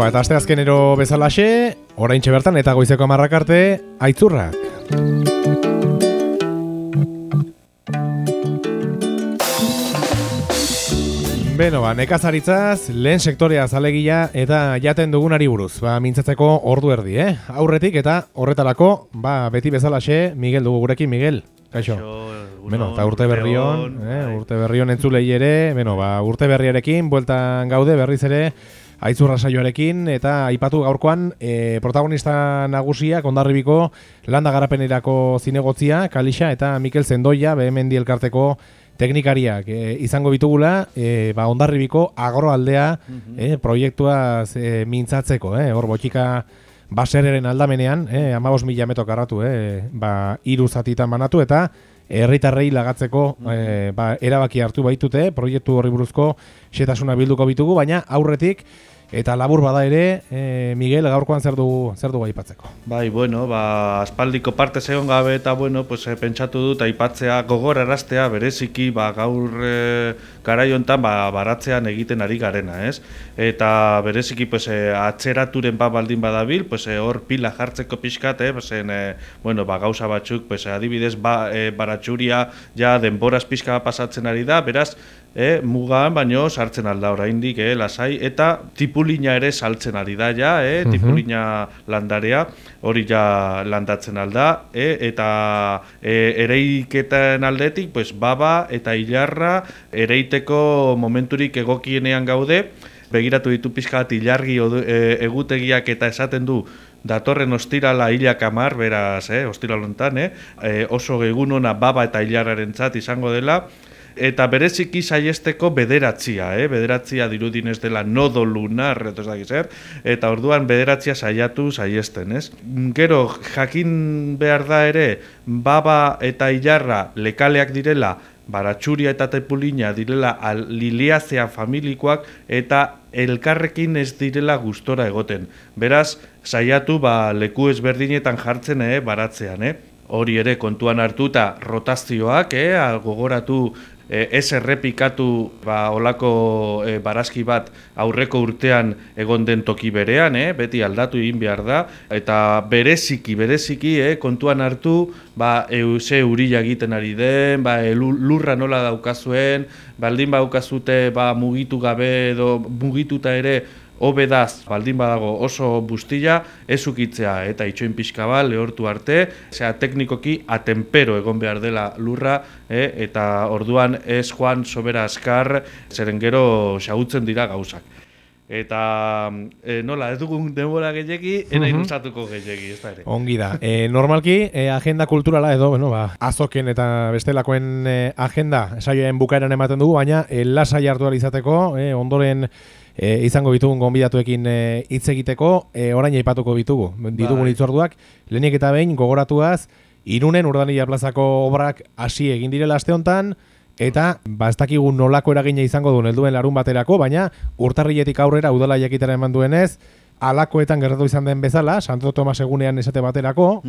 Eta asteazkenero bezalaxe, oraintxe bertan eta goizeko 10 arte, aitzurrak. Beno, nekazaritzaz, lehen sektorea zalegia eta jaten dugunari buruz. Mintzatzeko ordu erdi, aurretik eta horretarako, beti bezalaxe, Miguel dugu gurekin, Miguel. Kaixo. Beno, eta urte berrion entzulei ere, urte berriarekin, bueltan gaude berriz ere, aitzurra saioarekin, eta aipatu gaurkoan protagonista nagusiak Hondarribiko landa garapenerako zinegotzia, Kalixa eta Mikel Zendoia, Behemendi elkarteko teknikariak izango bitugula, Hondarribiko agroaldea proiektua mintzatzeko, hor botika basereren aldamenean, 15.000 metro karratu, 3 zatitan banatu, eta herritarrei lagatzeko erabaki hartu baitute, proiektu horri buruzko xetasuna bilduko bitugu, baina aurretik eta labur bada ere, Miguel, gaurkoan zer dugu aipatzeko? Aspaldiko parte egon gabe eta pentsatu dut aipatzea gogoraraztea bereziki gaur garai hontan baratzean egiten ari garena, ez? Eta bereziki atzeraturen baldin badabil, hor pila jartzeko pixkat, gauza batzuk, adibidez baratxuria ja denboraz pixka pasatzen ari da, beraz, mugan baino sartzen alda oraindik, lasai, eta tipulina ere saltzen ari da ja, tipulina landarea, hori ja landatzen alda, eta ereiketen aldetik, baba eta ilarra ereiteko momenturik egokienean gaude, begiratu ditu pixka bat ilargi egutegiak eta esaten du datorren ostirala hilak 10, beraz, ostiral hontan, oso egun ona baba eta ilarrarentzat izango dela, eta bereziki saiesteko bederatzia, bederatzia dirudinez dela nodo lunar, eta orduan bederatzia saiesten, ez? Gero, jakin behar da ere, baba eta ilarra lekaleak direla, baratxuria eta tepulina direla liliazea familikoak, eta elkarrekin ez direla gustora egoten. Beraz, saiatu leku ezberdinetan jartzen baratzean, hori ere kontuan hartuta rotazioak, gogoratu ez errepikatu olako barazki bat aurreko urtean egon den toki berean, beti aldatu egin behar da, eta bereziki kontuan hartu ze urila egiten ari den, lurra nola daukazuen, baldin daukazute mugitu gabe edo mugituta ere hobedaz, baldin badago oso bustila, ez ukitzea eta itxoin pixka bat lehortu arte, teknikoki atenpero egon behar dela lurra, eta orduan ez joan sobera askar, zeren gero xagutzen dira gauzak. Eta nola, ez dugun denbora gehiagi, ena ilustatuko gehiagi, ez da ere. Ongi da. Normalki, agenda kulturala edo, azoken eta bestelakoen agenda saioen bukaeran ematen dugu, baina lasai hartu izateko, ondoren izango bitugun gonbidatuekin hitz egiteko, orain aipatuko ditugun hitzorduak, lehenik eta behin gogoratuaz, Irunen Urdanilla plazako obrak hasi egin direla aste hontan, eta ez dakigu nolako eragina izango duen helduen larun baterako, baina urtarriletik aurrera udala jakitera eman duenez, alakoetan gertatu izan den bezala, Santo Tomas egunean esate baterako,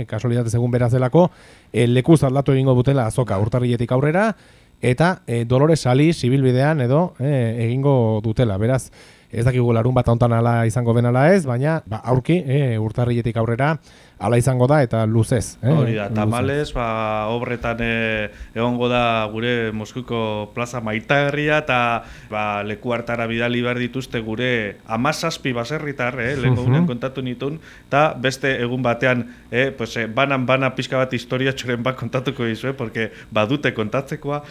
kasualitatez egun beraz delako, lekuz aldatu egingo dutela azoka urtarriletik aurrera, eta Dolores Sali zibilbidean edo egingo dutela. Beraz, ez dakigu larun bat hontan ala izango den ala ez, baina aurki urtarriletik aurrera ala izango da eta luzez. Hori da, tamalez, obretan egongo da gure Moskuko plaza maitagarria eta leku hartara bidali behar dituzte gure 17 baserritar, lehenko gunean kontatu nituen, eta beste egun batean banan pixka bat historia txoren bat kontatuko dizue, porque badute kontatzekoa,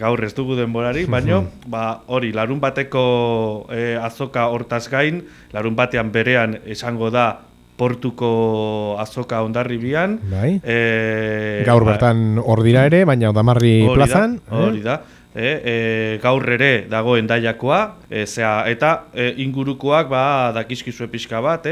gaur ez dugu denborari, baina hori, larun bateko azoka hortaz gain, larun batean berean izango da Portuko azoka Hondarribian. Gaur bertan hor dira ere, baina Odamarri plazan. Hori da. Gaur ere dago Hendaiakoa, eta ingurukoak dakizkizue pixka bat,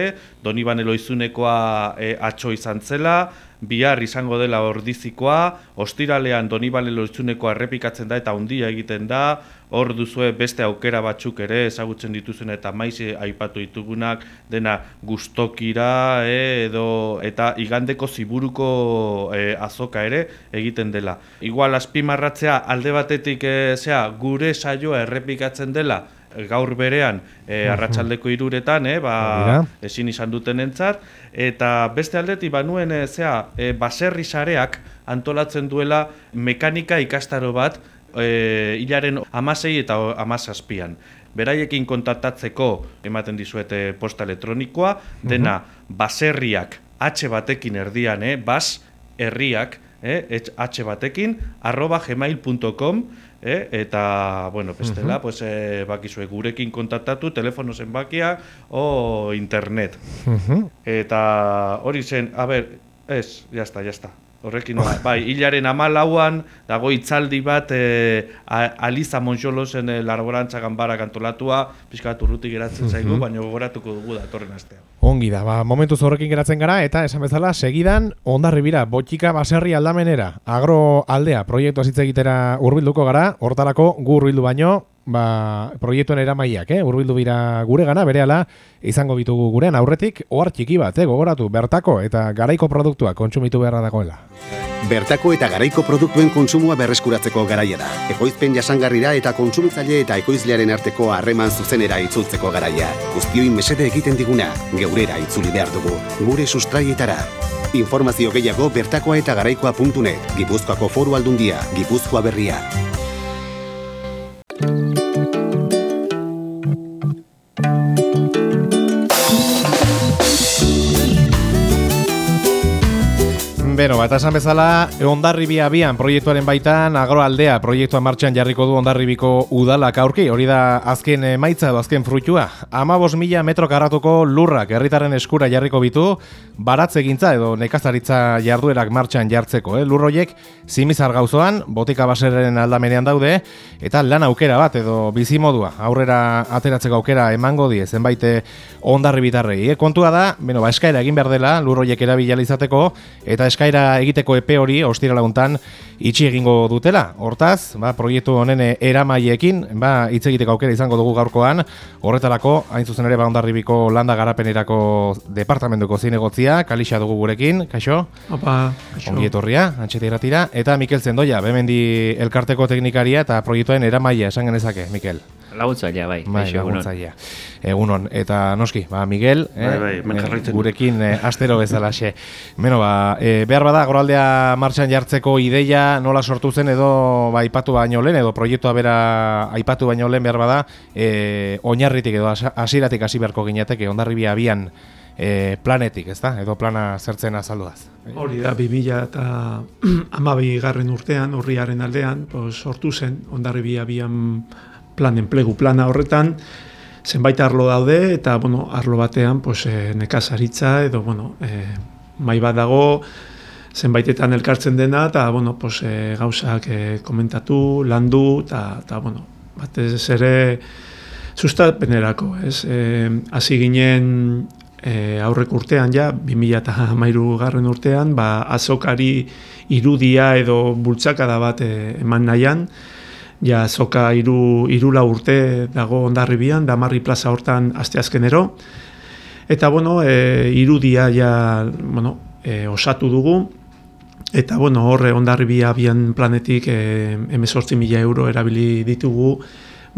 Donibane Loizunekoa atxo izan zela, bihar izango dela Ordizikoa, ostiralean Donibane Loizunekoa errepikatzen da eta handia egiten da, hor duzue beste aukera batzuk ere ezagutzen dituzen eta maiz aipatu ditugunak, dena gustokira eta igandeko ziburuko azoka ere egiten dela. Igual azpimarratzea alde batetik gure saioa errepikatzen dela, gaur berean arratsaldeko 3:00etan, ezin izan dutenentzat, eta beste aldetik banuen baserri sareak antolatzen duela mekanika ikastaro bat hilaren 16 eta 17an. Beraiekin kontaktatzeko ematen dizuete posta elektronikoa, dena baserriak H batekin erdian, bas herriak H batekin @gmail.com eta bueno, bestela pues bakizue gurekin kontaktatu, telefono zenbakia o internet. Eta hori zen, ya está. Horrekin, bai, hilaren 14an dago hitzaldi bat Aliza Monxolosen laborantza ganbara kantolatua, pixkat urruti geratzen zaigu, baina gogoratuko dugu datorren astean. Ongi da, momentuz horrekin geratzen gara, eta esan bezala, segidan Hondarribira, Botika baserri aldamenera, agroaldea proiektua hitz egitera hurbilduko gara, hortarako gu hurbildu baino, proiektuen eramaileak, hurbildu bira gure gana, berehala izango bitugu gurean aurretik, ohar txiki bat, gogoratu, bertako eta garaiko produktua kontsumitu beharra dagoela. Bertako eta garaiko produktuen kontsumoa berreskuratzeko garaia da. Ekoizpen jasangarrira eta kontsumitzaile eta ekoizlearen arteko harreman zuzenera itzultzeko garaia. Guztioi mesede egiten diguna, geurera itzuli behar dugu, gure sustraietara. Informazio gehiago bertakoa eta garaikoa.net, Gipuzkoako Foru Aldundia, Gipuzkoa Berria. Beno, eta esan bezala, Hondarribia abian proiektuaren baitan, agroaldea proiektua martxan jarriko du Hondarribiko udalak aurki, hori da azken emaitza edo azken fruitua. 15.000 metro karratuko lurrak herritarren eskura jarriko bitu, baratzegintza edo nekazaritza jarduerak martxan jartzeko. Lurroiek Zimizar gauzoan, Botika baserren aldamenean daude, eta lan aukera bat edo bizimodua, aurrera ateratzeko aukera emango die zenbait hondarribitarrei. Kontua da, eskaera egin behar dela lurroiek erabili izateko, eta eskaera egiteko epe hori ostirala hontan itxi egingo dutela. Hortaz, proiektu honen eramaileekin hitz egiteko aukera izango dugu gaurkoan. Horretarako, hain zuzen ere Hondarribiko landa garapenerako departamentuko zinegotzia, Kalixa dugu gurekin, kaixo? Opa, kaixo. Ongi etorria, Antxeti Irratira, eta Mikel Zendoia, Bemendi elkarteko teknikaria eta proiektuen eramailea esan genezake, Mikel. Laguntzailea, bai. Laguntzailea. Egunon, eta noski, Miguel, gurekin astero bezalaxe. Behar bada, agroaldea martxan jartzeko ideia nola sortu zen edo aipatu baino lehen, edo proiektua bera aipatu baino lehen behar bada, oinarritik edo hasieratik hasi beharko ginateke, Hondarribia abian planetik, ezta? Edo plana zertzen azalduaz. Hori da, 2012 urtean, urriaren aldean, sortu zen Hondarribia abian enplegu plana horretan, zenbait arlo daude, eta arlo batean nekazaritza edo mai bat dago, zenbaitetan elkartzen dena, eta gauzak komentatu, landu, eta batez ere sustapenerako. Hasi ginen aurrek urtean, 2013 urtean, azokari irudia edo bultzakada bat eman nahian, azoka 3-4 urte dago Hondarribian, Damarri plaza hortan asteazkenero. Eta, irudia osatu dugu. Eta, horre Hondarribia abian planetik 18.000 euro erabili ditugu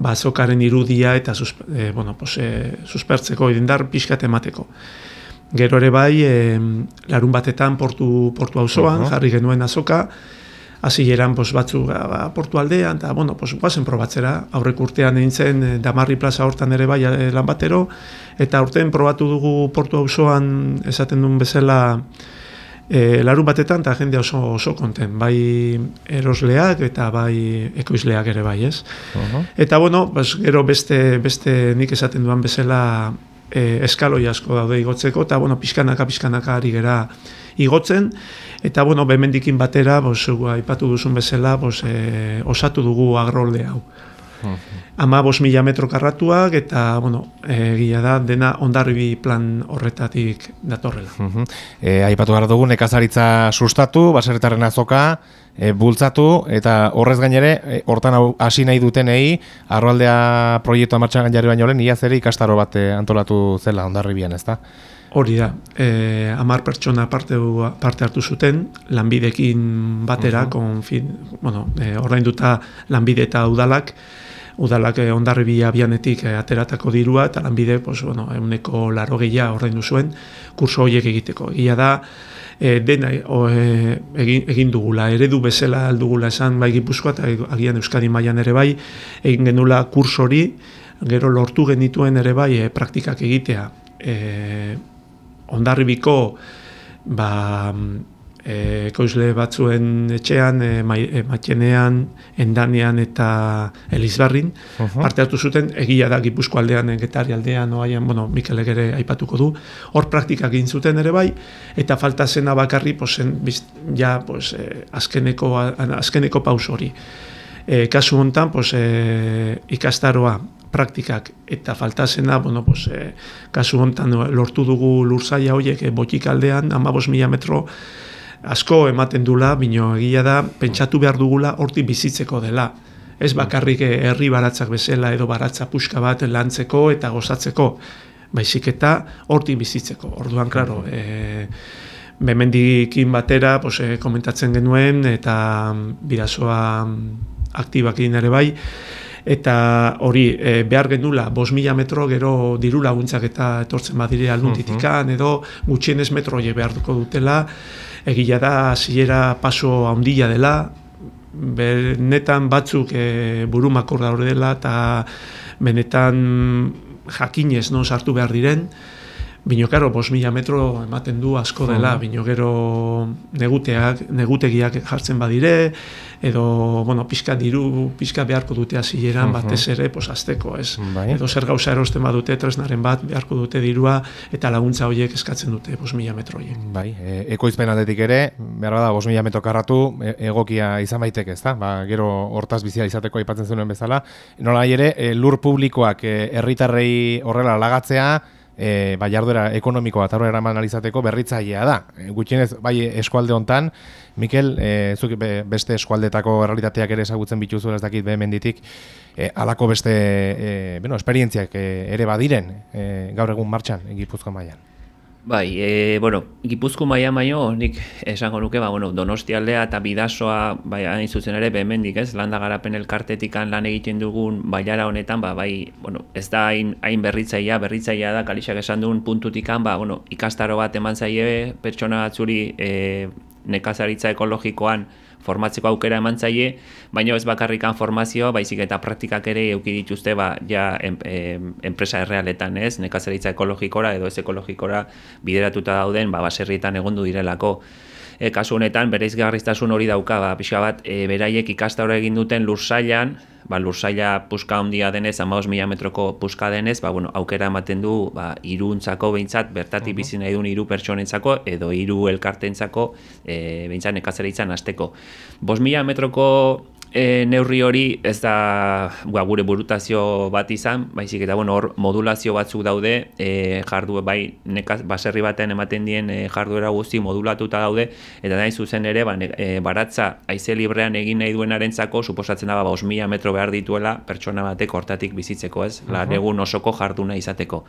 azokaren irudia eta suspertzeko idendar pixkat emateko. Gero ere bai, larun batetan portu auzoan jarri genuen azoka, hasi eran batzu portu aldean, eta guazen probatzera. Aurrek urtean egin zen Damarri plaza hortan ere bai lan batero, eta urtean probatu dugu portu auzoan esaten duen bezala larun batetan, eta jende oso konten, bai erosleak eta bai ekoizleak ere bai, ez? Eta gero beste nik esaten duan bezala eskaloi asko daude igotzeko, eta pixkanaka ari gera igotzen, eta bemendikin batera, aipatu duzun bezala, osatu dugu agroalde hau. 15.000 metro karratuak, eta egia da dena Hondarribi plan horretatik datorrela. Aipatu behar dugu nekazaritza sustatu, baserritarren azoka, bultzatu, eta horrez gainere, hortan hasi nahi dutenei, agroaldea proiektua martxan jarri baino lehen, iaz ere ikastaro bat antolatu zela Hondarribian, ezta? Hori da, 10 pertsona parte hartu zuten, lanbidekin batera, ordainduta lanbide eta udalak, udalak Hondarribia abianetik ateratako dirua, eta lanbide, pues, bueno, 180 ordaindu zuen kurso horiek egiteko. Egia da, dena egin dugula, eredu bezala aldugula esan bai Gipuzkoa eta agian Euskadi mailan ere bai, egin genula kurso hori, gero lortu genituen ere bai praktikak egitea. Hondarribiko ekoizle batzuen etxean, Matxenean, Endanean eta Elizbarrin, parte hartu zuten, egia da Gipuzko aldean, Getari aldean, oaian, bueno, Mikelek ere aipatuko du, hor praktikak egin zuten ere bai, eta falta zena bakarri, azkeneko paus hori. Kasu hontan, ikastaroa, praktikak eta falta zena, kasu hontan lortu dugu lursaila horiek Botik aldean, 15.000 metro, asko ematen dula, bino egia da, pentsatu behar dugula hortik bizitzeko dela. Ez bakarrik herri baratzak bezala edo baratza puska bat lantzeko eta gozatzeko, baizik eta hortik bizitzeko. Orduan, klaro, bemendikin batera komentatzen genuen eta bidazoa aktibakin ere bai, eta hori behar genula 5.000 metro gero diru laguntzak eta etortzen badire aldunditikan edo gutxienez metro horiek behartuko dutela. Egia da hasiera paso handia dela, benetan batzuk burumakor daude dela eta benetan jakinez sartu behar diren, bino karo 5.000 metro ematen du asko dela, bino gero negutegiak jartzen badire, edo, pixka beharko dute hasieran batez ere, azteko, ez? Edo zer gauza erosten badute, tresnaren bat beharko dute dirua, eta laguntza horiek eskatzen dute 5.000 metro horiek. Bai, ekoizpen aldetik ere, behar bada 5.000 metro karratu, egokia izan baitek, ezta? Gero hortaz bizia izateko aipatzen zuen bezala. Nola ere, lur publikoak herritarrei horrela lagatzea, jarduera ekonomikoa eta horrela analizateko berritzailea da. Gutxienez, bai eskualde hontan, Mikel, zuk beste eskualdetako errealitateak ere ezagutzen bituzu, ez dakit behemenditik, halako beste esperientziak ere badiren gaur egun martxan Gipuzkoa mailan. Bai, Gipuzko mailan baino, nik esango nuke, Donostialdea eta Bidasoa, hain zuzen ere, behemendik, ez, landa garapen elkartetikan lan egiten dugun bailara honetan, ez da hain berritzailea da, Kalixak esan duen puntutikan, ikastaro bat eman zaie, pertsona batzuri nekazaritza ekologikoan formatzeko aukera eman zaie, baina ez bakarrikan formazioa, baizik eta praktikak ere eduki dituzte enpresa errealetan, ez, nekazaritza ekologikora edo ez ekologikora bideratuta dauden baserrietan egondu direlako. Kasu honetan, bereizgarriztasun hori dauka, pixka bat, beraiek ikastaroa egin duten lursailan, lursaila puska handia denez, 15.000 metroko puska denez, aukera ematen du hiruntzako behintzat, bertatik bizi nahi duen 3 pertsonentzako edo 3 elkartentzako behintzat nekazaritzan hasteko. 5.000 metroko neurri hori ez da gure burutazio bat izan, baizik eta hor modulazio batzuk daude, baserri batean ematen dien jarduera guzti modulatuta daude, eta nahi zuzen ere baratza haize librean egin nahi duenarentzako suposatzen da 5.000 metro behar dituela pertsona batek hortatik bizitzeko, ez, lan egun osoko jarduna izateko.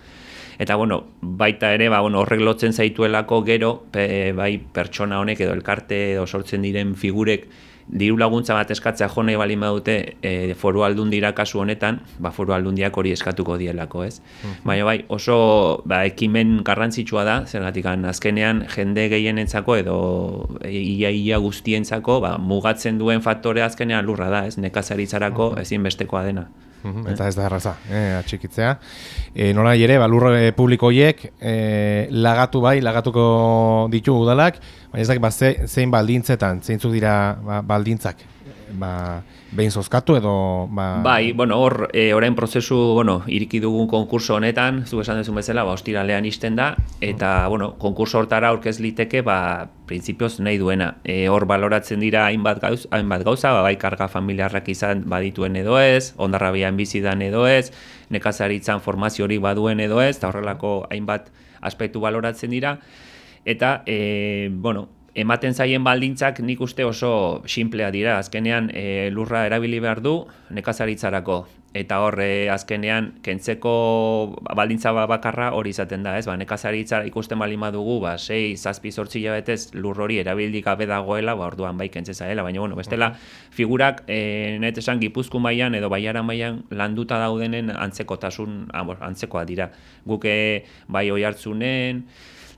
Eta baita ere horrek lotzen zaituelako gero bai pertsona honek edo elkarte edo sortzen diren figurek diru laguntza bat eskatzea jo nahi baldin badute foru aldundira kasu honetan, foru aldundiak hori eskatuko dielako, ez? Baina oso ekimen garrantzitsua da, zergatik azkenean jende gehienentzako edo ia guztientzako mugatzen duen faktore azkenean lurra da, ez? Nekazaritzarako ezinbestekoa dena. Eta ez da erraza, atxikitzea. Nola ere, lur publiko horiek lagatuko ditu udalak, baina ez dakit zein baldintzetan, zeintzuk dira baldintzak, behin zozkatu edo... Bai, hor, orain prozesu, iriki dugun konkurso honetan, zu esan dezun bezala, ostiralean isten da, eta, konkurso hortara aurkez liteke, printzipioz nahi duena. Hor baloratzen dira hainbat gauza, bai karga familiarrak izan badituen edo ez, Hondarrabian bizidan edo ez, nekazaritzan formazio hori baduen edo ez, eta horrelako hainbat aspektu baloratzen dira, eta, ematen zaien baldintzak nik uste oso simplea dira. Azkenean lurra erabili behar du nekazaritzarako. Eta hor azkenean kentzeko baldintza bakarra hori izaten da, ez? Nekazaritza ikusten baldin badugu, 6, 7, 8 hilabetez lur hori erabildik gabe dagoela, orduan bai kentze zaela, baina bestela figurak net esan Gipuzkoa mailan edo Baiara mailan landuta daudenen antzekoa dira. Guk bai Oiartzunen,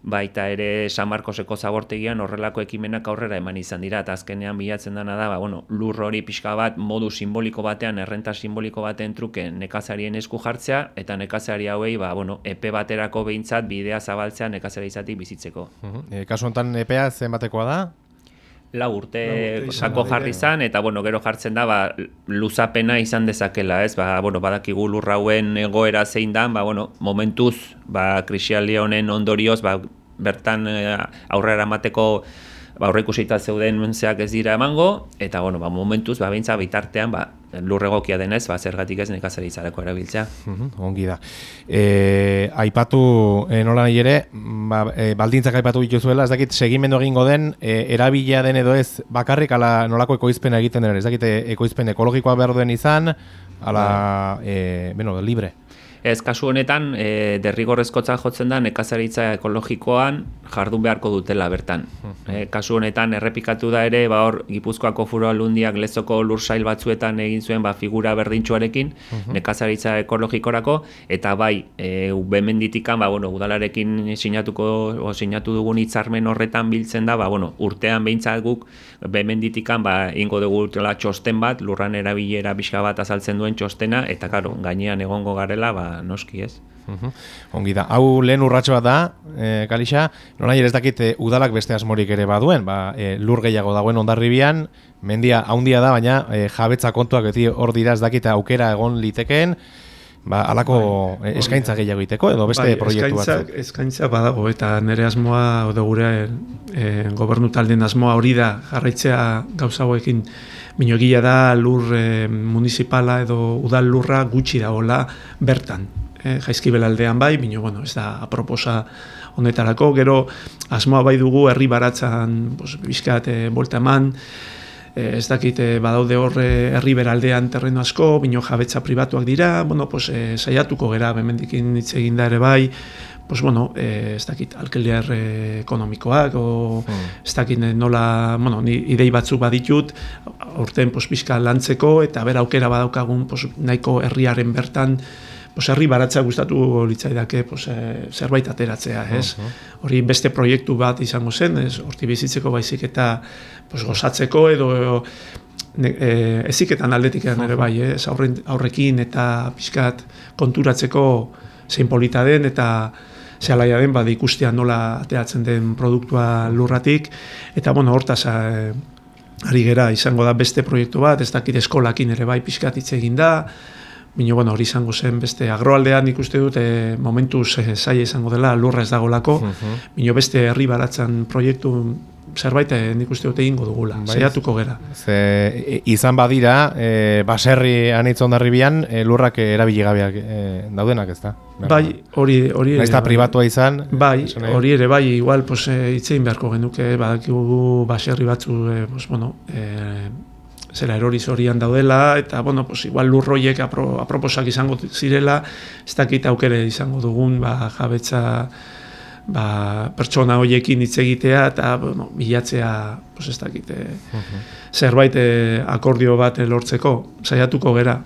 baita ere San Markoseko zabortegian horrelako ekimenak aurrera eman izan dira, eta azkenean bilatzen dena da, lur hori pixka bat modu simboliko batean, errenta simboliko baten truke nekazarien esku jartzea, eta nekazari hauei, epe baterako behintzat bidea zabaltzea nekazari izatik bizitzeko. Kasu honetan epea zenbatekoa da? 4 urte sako jarri izan, eta gero jartzen da luzapena izan dezakela, ez? Badakigu lur hauen egoera zein da, momentuz krisialdi honen ondorioz bertan aurrera emateko aurreikusita zeuden zeak ez dira emango, eta momentuz beintza bitartean lur egokia denez, zergatik ez nekazaritzarako erabiltzea. Ongi da. Aipatu nola nahi ere, baldintzak aipatu dituzuela, ez dakit segimendu egingo den, erabilia den edo ez bakarrik ala nolako ekoizpena egiten den, ez dakit ekoizpen ekologikoa behar duen izan, ala, libre. Ez, kasu honetan, derrigorrezkotza jotzen da nekazaritza ekologikoan jardun beharko dutela bertan. Kasu honetan, errepikatu da ere, hor Gipuzkoako Foru Aldundiak Lezoko lursail batzuetan egin zuen figura berdintsuarekin nekazaritza ekologikorako, eta bai, bemenditikan, udalarekin sinatu dugun hitzarmen horretan biltzen da, urtean behintzat guk bemenditikan ingo dugu txosten bat, lurran erabilera pixka bat azaltzen duen txostena, eta gainean egongo garela, noski ez. Ongi da. Hau lehen urratxo bat da, Kalixa, nola ez dakit udalak beste asmorik ere baduen, lur gehiago dagoen Hondarribian, mendia haundia da, baina jabetza kontuak beti hor dira ez dakit aukera egon litekeen, alako eskaintza gehiago egiteko edo beste proiektu batzuk. Eskaintza badago, eta nire asmoa, gure gobernu taldeen asmoa hori da jarraitzea gauza hauekin. Bino egia da lur municipala edo udal lurra gutxi dagoela bertan. Jaizkibel aldean bai, bino ez da aproposa honetarako. Gero asmoa bai dugu herri baratzan bizkat bolta eman, ez dakit badaude hor herri beraldean terreno asko, bino jabetza pribatuak dira, saiatuko gera hemendikin hitz egin da ere bai, ez dakit alkiler ekonomikoak, ez dakit nola, ni idei batzuk baditut, urten pixka lantzeko, eta bera aukera badaukagun nahiko herriaren bertan, herri baratza gustatu litzaidake zerbait ateratzea, ez? Hori beste proiektu bat izango zen, horti bizitzeko baizik eta gozatzeko edo eziketan aldetik ere bai, aurrekin eta pixkat konturatzeko zein polita den eta zehalaia den ikustean nola ateratzen den produktua lurratik, eta hortaz ari gera izango da beste proiektu bat, ez dakit eskolakin ere bai pixkat hitz egin da, bino hori izango zen beste agroaldean ikuste dut momentuz zaila izango dela lurra ez dagolako, bino beste herri baratzen proiektu zerbait nik uste dut egingo dugula, saiatuko gera. Izan badira, baserri anitz Hondarribian, lurrak erabili gabeak daudenak, ez da? Bai, hori ere. Naizta pribatua izan? Bai, hori ere, bai, igual hitzein beharko genuke, badakigu baserri batzu, zera eroriz horian daudela, eta, igual lurroiek aproposak izango zirela, ez dakit aukere izango dugun, jabetza, pertsona horiekin hitz egitea eta bilatzea ez dakit zerbait akordio bat lortzeko, saiatuko gera.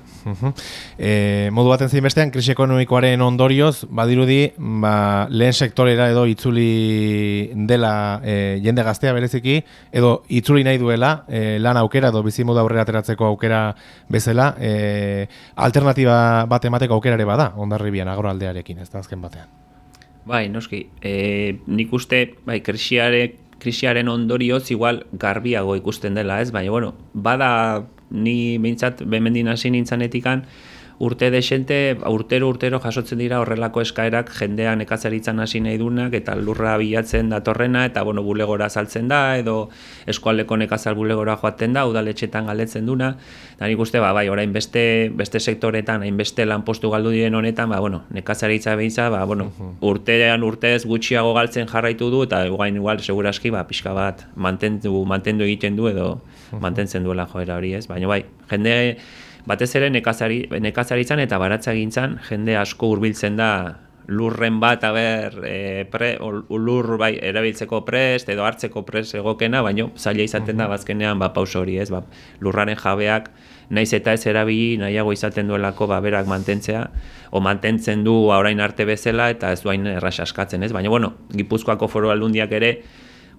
Modu baten zein bestean, krisi ekonomikoaren ondorioz, badirudi, lehen sektorera edo itzuli dela jende gaztea bereziki, edo itzuli nahi duela lan aukera edo bizimodu aurrera ateratzeko aukera bezala, alternatiba bat emateko aukera ere bada, Hondarribian agroaldearekin, ez da azken batean. Bai, noski, nik uste, krisiaren ondorioz igual garbiago ikusten dela, ez? Baina, bada ni behintzat bemendin hasi nintzanetikan, urte desente, urtero jasotzen dira horrelako eskaerak jendea nekazaritzan hasi nahi dunak eta lurra bilatzen datorrena eta bulegora saltzen da edo eskualdeko nekazal bulegora joaten da, udaletxetan galdetzen duna. Eta nik uste, bai, orain beste sektoretan, hainbeste lanpostu galdu diren honetan, nekazaritza behitza, urtean urtez gutxiago galtzen jarraitu du eta igual seguraski pixka bat mantendu egiten du edo mantentzen duela joera hori, ez? Baina bai, jende batez ere nekazaritzan eta baratzagintzan jende asko hurbiltzen da lurren bat, lur erabiltzeko prest edo hartzeko prest egokena, baina zaila izaten da bazkenean pauso hori, ez? Lurraren jabeak naiz eta ez erabili nahiago izaten duelako berak mantentzea, o mantentzen du orain arte bezala eta ez duain erraz askatzen, ez? Baina, Gipuzkoako Foru Aldundiak ere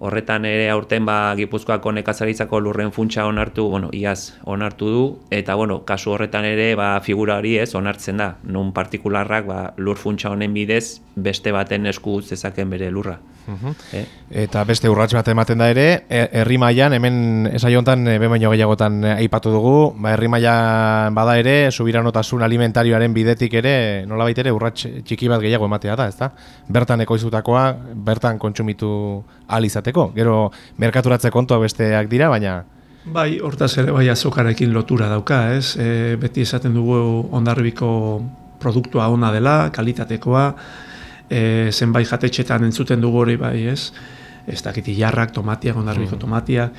horretan ere aurten Gipuzkoako nekazaritzako lurren funtsa onartu, iaz onartu du, eta kasu horretan ere figura hori ez onartzen da, non partikularrak lur funtsa honen bidez beste baten esku zezaken bere lurra. Eta beste urrats bat ematen da ere, herri mailan hemen esaiontan baino gehiagotan aipatu dugu, herri mailan bada ere subiranotasun alimentarioaren bidetik ere nolabait ere urrats txiki bat gehiago ematea da, ezta? Bertan ekoiztutakoa bertan kontsumitu ahal izateko. Gero merkaturatze kontua besteak dira, baina bai, hortaz ere azokarekin lotura dauka, ez? Beti esaten dugu Hondarribiko produktua ona dela, kalitatekoa, zenbait jatetxetan entzuten dugu hori bai, ez? Ez dakit jarrak, tomatiak, Hondarribiko tomatiak.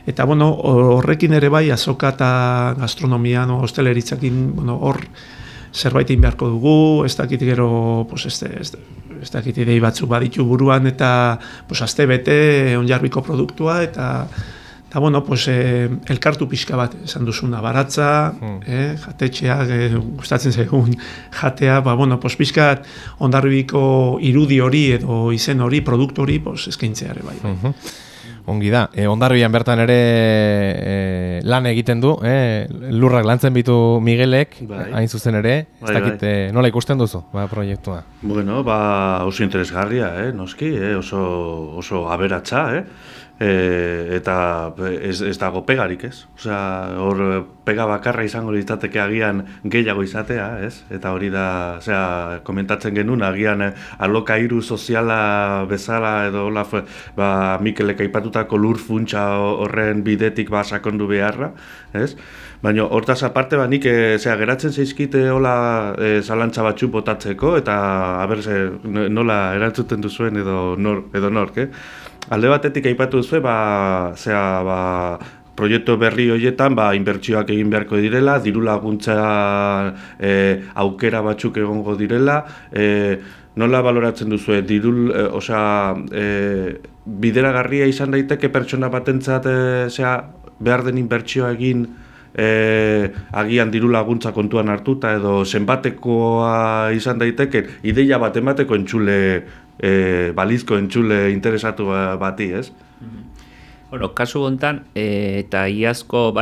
Eta horrekin ere bai azoka eta gastronomian, hosteleritzakin, hor zerbait egin beharko dugu, ez dakit gero, ez dakit idei batzuk baditu buruan eta aste bete Hondarribiko produktua eta elkartu pixka bat esan duzuna, baratza, jatetxeak, gustatzen zaigun jatea, pixka Hondarribiko irudi hori edo izen hori, produktu hori eskaintzea ere bai. Ongi da, Hondarribian bertan ere lan egiten du, lurrak lantzen bitu Miguelek, hain zuzen ere, ez dakit nola ikusten duzu proiektua? Bueno, oso interesgarria, noski, oso aberatsa, eta ez dago pegarik, ez? Osea, hor pega bakarra izango litzateke agian gehiago izatea, ez? Eta hori da, komentatzen genuen, agian alokairu soziala bezala edo hola, Mikelek aipatutako lur funtsa horren bidetik sakondu beharra, ez? Baina hortaz aparte nik geratzen zaizkite hola zalantza batzu botatzeko eta nola erantzuten duzuen edo nork, Alde batetik aipatu duzu, proiektu berri horietan inbertsioak egin beharko direla, diru laguntza aukera batzuk egongo direla, nola baloratzen duzu, bideragarria izan daiteke pertsona batentzat behar den inbertsioa egin agian diru laguntza kontuan hartuta edo zenbatekoa izan daiteke ideia bat emateko balizko entzule interesatu bati, ez? Kasu hontan, eta iazko,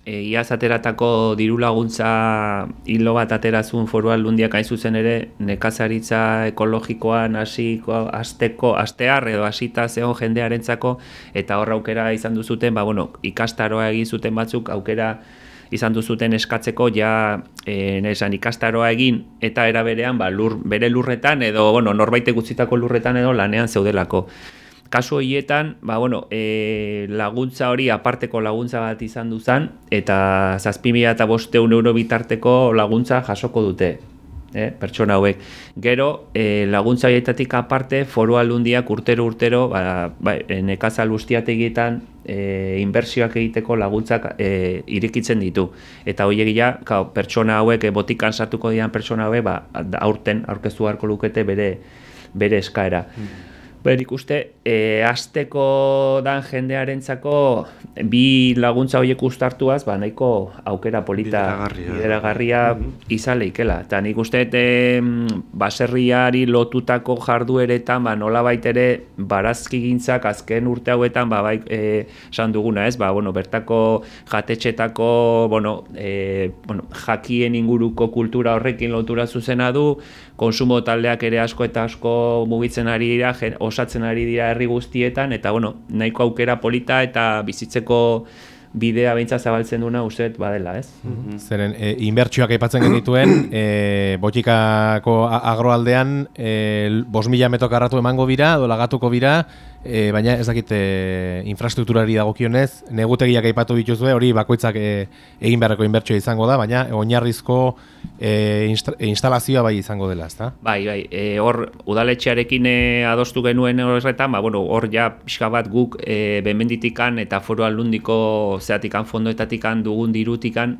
iaz ateratako diru laguntza hilo bat aterazun Foru Aldundiak hain zuzen ere nekazaritza ekologikoan astear edo hasita zeon jendearentzako eta hor aukera izan duzuten, ikastaroa egin zuten batzuk aukera izan duzuten eskatzeko ikastaroa egin eta era berean bere lurretan edo norbaitek utzitako lurretan edo lanean zeudelako. Kasu horietan, laguntza hori aparteko laguntza bat izan duzan eta 7.500 euro bitarteko laguntza jasoko dute. Pertsona hauek. Gero, laguntza horietatik aparte, Foru Aldundiak urtero nekazal guztiategietan inbertsioak egiteko laguntzak irekitzen ditu. Eta horiegia, pertsona hauek, botikan sartuko dian pertsona hauek, aurten aurkeztu beharko lukete bere eskaera. Nik uste, hasteko dan jendearentzako bi laguntza horiek uztartuaz, nahiko aukera polita bideragarria izan leikela. Eta nik uste, baserriari lotutako jardueretan, nolabait ere barazkigintzak azken urte hauetan, esan duguna, ez? Bertako jatetxetako, jakien inguruko kultura horrekin lotura zuzena du, konsumo taldeak ere asko eta asko mugitzen ari dira, osatzen ari dira herri guztietan, eta nahiko aukera polita eta bizitzeko bidea beintza zabaltzen duna uste badela, ez? Zeren, inbertsioak aipatzen genituen, Botikako agroaldean 5.000 metro karratu emango bira, edo lagatuko bira, baina ez dakit infrastrukturari dagokionez, negutegiak aipatu dituzue, hori bakoitzak egin beharreko inbertsioa izango da, baina oinarrizko instalazioa bai izango dela, ezta? Bai, hor udaletxearekin adostu genuen horretan, hor ja pixka bat guk Benmenditikan eta Foru Aldundiko zeatikan fondoetatikan dugun dirutikan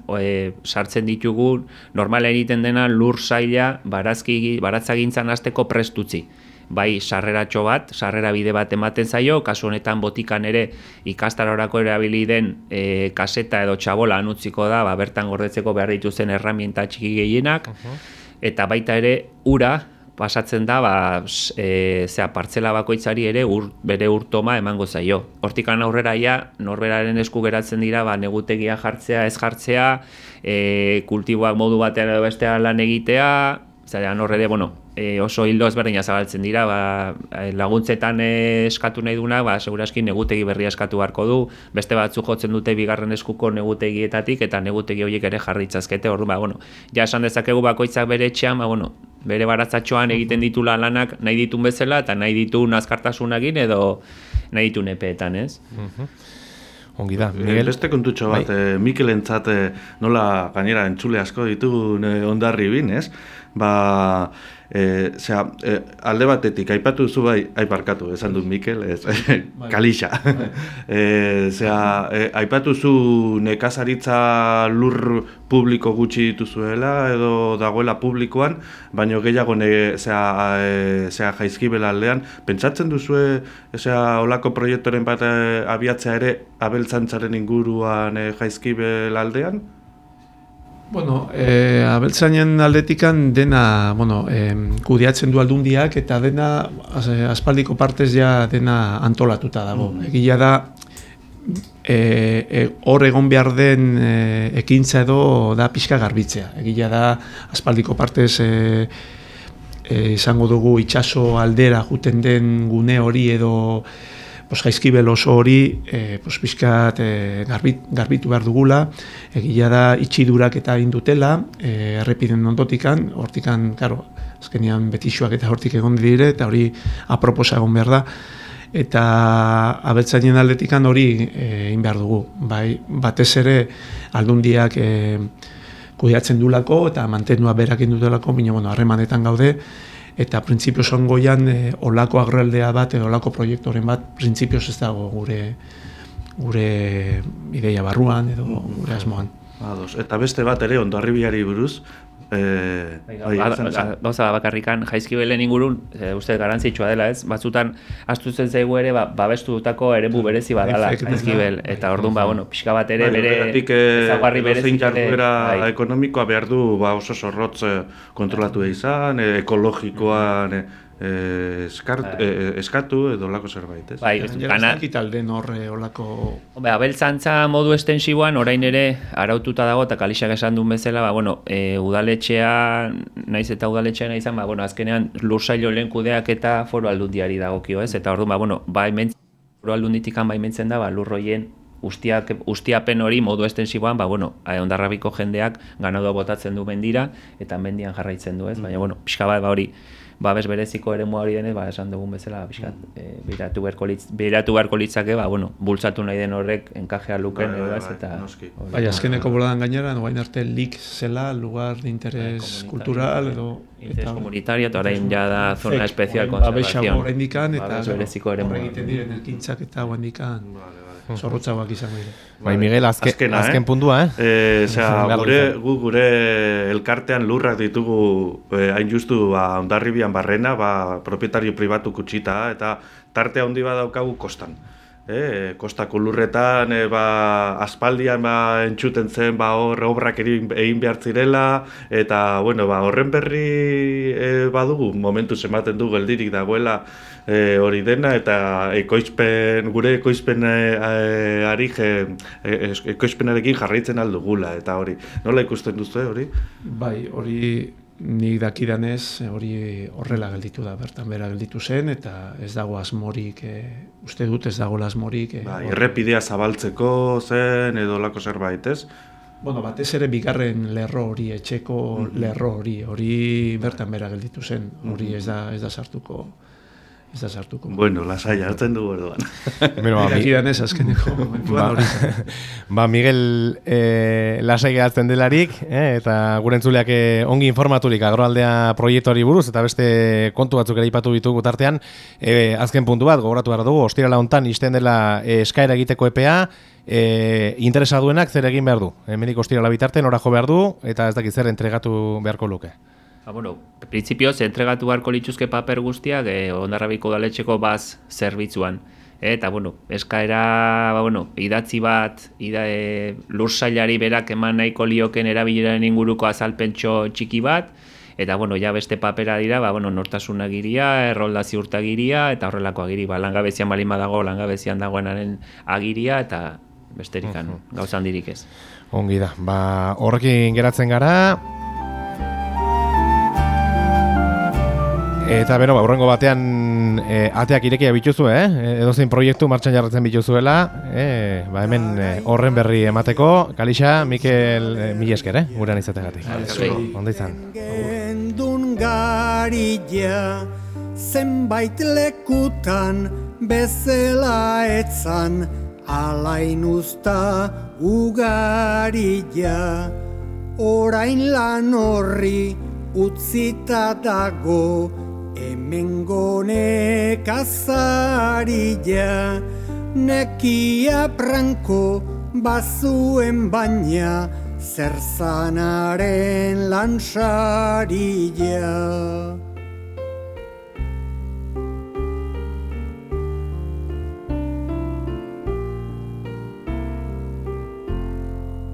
sartzen ditugu normala egiten dena lur saila baratzagintzan hasteko prest utzi. Bai, sarreratxo bat, sarrera bide bat ematen zaio, kasu honetan Botikan ere ikastarorako erabili den kaseta edo txabola utziko da, bertan gordetzeko behar dituzen erramienta txiki gehienak, eta baita ere ura pasatzen da, partzela bakoitzari ere bere urtoma emango zaio. Hortikan aurrera norberaren esku geratzen dira, negutegia jartzea, ez jartzea, kultiboak modu batean edo bestean lan egitea, zarean horre oso hildo ezberdina zabaltzen dira, laguntzetan eskatu nahi duna, seguraski negutegi berria eskatu beharko du, beste batzuk jotzen dute bigarren eskuko negutegietatik, eta negutegi horiek ere jarritzazkete, orduan, ja esan dezakegu bakoitzak bere etxean, bere baratzatxoan egiten ditula lanak nahi ditun bezala, eta nahi ditun azkartasunagin edo nahi ditun epeetan, ez? Ongi da, Miguel? Beste kontutxo bat, Mikelentzat nola gainera entzule asko ditugun Hondarribin, ez? Alde batetik, aipatu duzu aiparkatu, esan dut Mikel, kalixa. Aipatu duzu nekazaritza lur publiko gutxi dituzuela edo dagoela publikoan, baino gehiago Jaizkibel aldean. Pentsatzen duzue olako proiektoren bat abiatzea ere abeltzantzaren inguruan Jaizkibel aldean? Abeltzainen aldetikan dena, kudeatzen du Aldundiak eta dena aspaldiko partez ja dena antolatuta dago. Egia da, hor egon behar den ekintza edo da pixka garbitzea. Egia da, aspaldiko partez izango dugu itsaso aldera juten den gune hori edo Jaizkibel oso hori pixkat garbitu behar dugula, egia da itxidurak eta indutela, errepiden ondotikan, hortikan, azkenean betixoak eta hortik egon dire, eta hori aproposa egon behar da, eta abeltzainen aldetikan hori egin behar dugu. Batez ere Aldundiak kudeatzen dulako eta mantendua berak indutelako, baina harremanetan gaude, eta printzipioz ongoian olako agroaldea bat edo olako proiektoren bat printzipioz ez dago gure ideia barruan edo gure asmoan. Eta beste bat ere Hondarribiari buruz, gauza bakarrikan Jaizkibelen ingurun uste garantzitsua dela, ez? Batzutan astutzen zaigu ere babestutako eremu berezi badala Jaizkibel, eta orduan pixka bat ere bere ezaugarri berezi ekonomikoa behar du oso zorrotz kontrolatu izan, ekologikoan eskatu edo olako zerbait, ez? Zakitalden horre olako... Abeltzantza modu estensiboan orain ere araututa dago eta Kalixak esan duen bezala, udaletxea, naiz eta udaletxea nahi izan, azkenean lursailo lehen kudeak eta Foru Aldundiari dagokio, ez? Eta orduan, Foru Aldunditikan baimentzen da, lurroien ustiapen hori modu estensiboan, Hondarribiko jendeak ganadua botatzen du mendira eta mendian jarraitzen du, ez? Baina, pixka bat hori babes bereziko eremua hori denez, esan dugun bezala, behiratu beharko litzake, bultzatu nahi den horrek enkajea luken, eta... Azkeneko boladan gainera, noain arte lik zela, lugar de interés kultural, edo... Interés komunitario, eta orain ja da zona especial konservazion. Babes indikan, eta horregiten diren elkintzak eta indikan. Zorrotzauak izango dira. Miguel, azken puntua, gure elkartean lurrak ditugu hain justu Hondarribian barrena, propietario pribatu kutsita, eta tarte handi bat daukagu kostan. Kostako lurretan aspaldian entzuten zen hor obrak egin behar zirela, eta horren berri badugu, momentuz ematen du geldirik dagoela hori dena, eta gure ekoizpenarekin jarraitzen aldugula, eta hori. Nola ikusten duzu hori? Hori nik dakidanez hori horrela gelditu da, bertan bera gelditu zen, eta ez dago asmorik, uste dut ez dago asmorik. Errepidea zabaltzeko zen edo lako zerbait, ez? Bueno, batez ere bigarren lerro hori, etxeko lerro hori bertan bera gelditu zen, hori ez da sartuko. Ez da sartuko. Bueno, lasai hartzen dugu orduan. Dakidanez azkeneko momentuan hori zen. Miguel lasai gehatzen delarik, eta gure entzuleak ongi informaturik agroaldea proiektuari buruz, eta beste kontu batzuk ere aipatu ditugu tartean, azken puntu bat, gogoratu behar dugu, ostirala hontan isten dela eskaera egiteko epea, interesa duenak zer egin behar du. Hemendik ostirala bitarte nora jo behar du, eta ez dakit zer entregatu beharko luke. Bueno, printzipioz, entregatu beharko lituzke paper guztiak Hondarribiko udaletxeko baz zerbitzuan. Eta, eskaera, idatzi bat, lursailari berak eman nahiko lioken erabileraren inguruko azalpentxo txiki bat, eta, ja beste papera dira, nortasun agiria, errolda ziurtagiria, eta horrelako agiri, langabezian balin badago, langabezian dagoenaren agiria, eta besterikan, gauza handirik ez. Ongi da, horrekin geratzen gara. Eta urrengo batean ateak irekia bituzu, edozein proiektu martxan jarratzen bituzuela, hemen horren berri emateko. Kalixa, Mikel, mila esker, gurean izategatik. Ondo izan. Gendun garila, zenbait lekutan bezala etzan, alain usta ugarila, orain lan horri utzita dago, hemengo nekazarila, nekia pranko bazuen baina, zerzanaren lansarila.